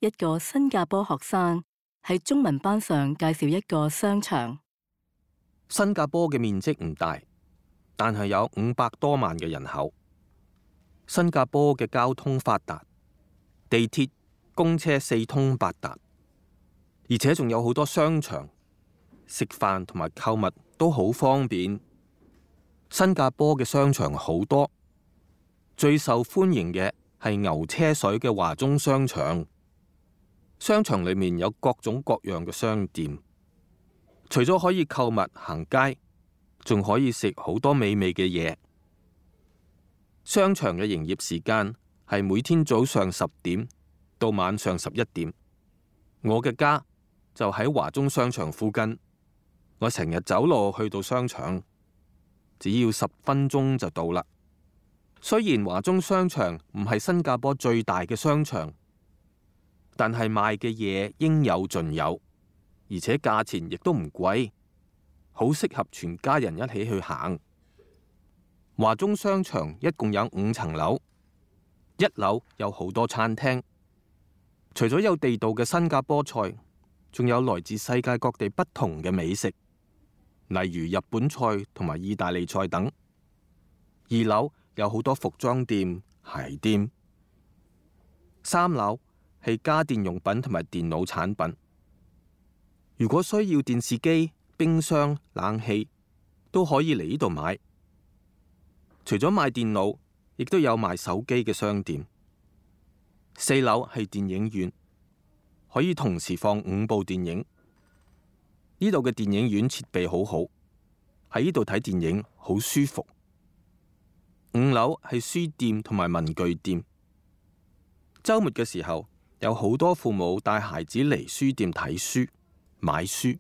一個新加坡學生喺中文班上介紹一個商場。新加坡嘅面積唔大，但係有500多萬嘅人口。新加坡嘅交通發達，地鐵、公車四通八達，而且仲有好多商場，食飯同埋購物都好方便。新加坡嘅商場好多，最受歡迎嘅係牛車水嘅華中商場。商場裏面有各種各樣嘅商店，除咗可以購物行街，仲可以食好多美味嘅嘢。商場嘅營業時間係每天早上10點到晚上11點。我嘅家就喺華中商場附近，我成日走路去到商場，只要10分鐘就到啦。雖然華中商場唔係新加坡最大嘅商場，但係賣嘅嘢應有盡有，而且價錢亦都唔貴，好適合全家人一起去行。華中商場一共有5層樓，1樓有好多餐廳，除咗有地道嘅新加坡菜，仲有來自世界各地不同嘅美食，例如日本菜同埋意大利菜等。2樓有好多服裝店、鞋店。3樓係家電用品同埋電腦產品。如果需要電視機、冰箱、冷氣，都可以嚟呢度買。除咗賣電腦，亦都有賣手機嘅商店。4樓係電影院，可以同時放5部電影。呢度嘅電影院設備好好，喺呢度睇電影好舒服。5樓係書店同埋文具店。週末嘅時候，有好多父母帶孩子嚟書店睇書、買書。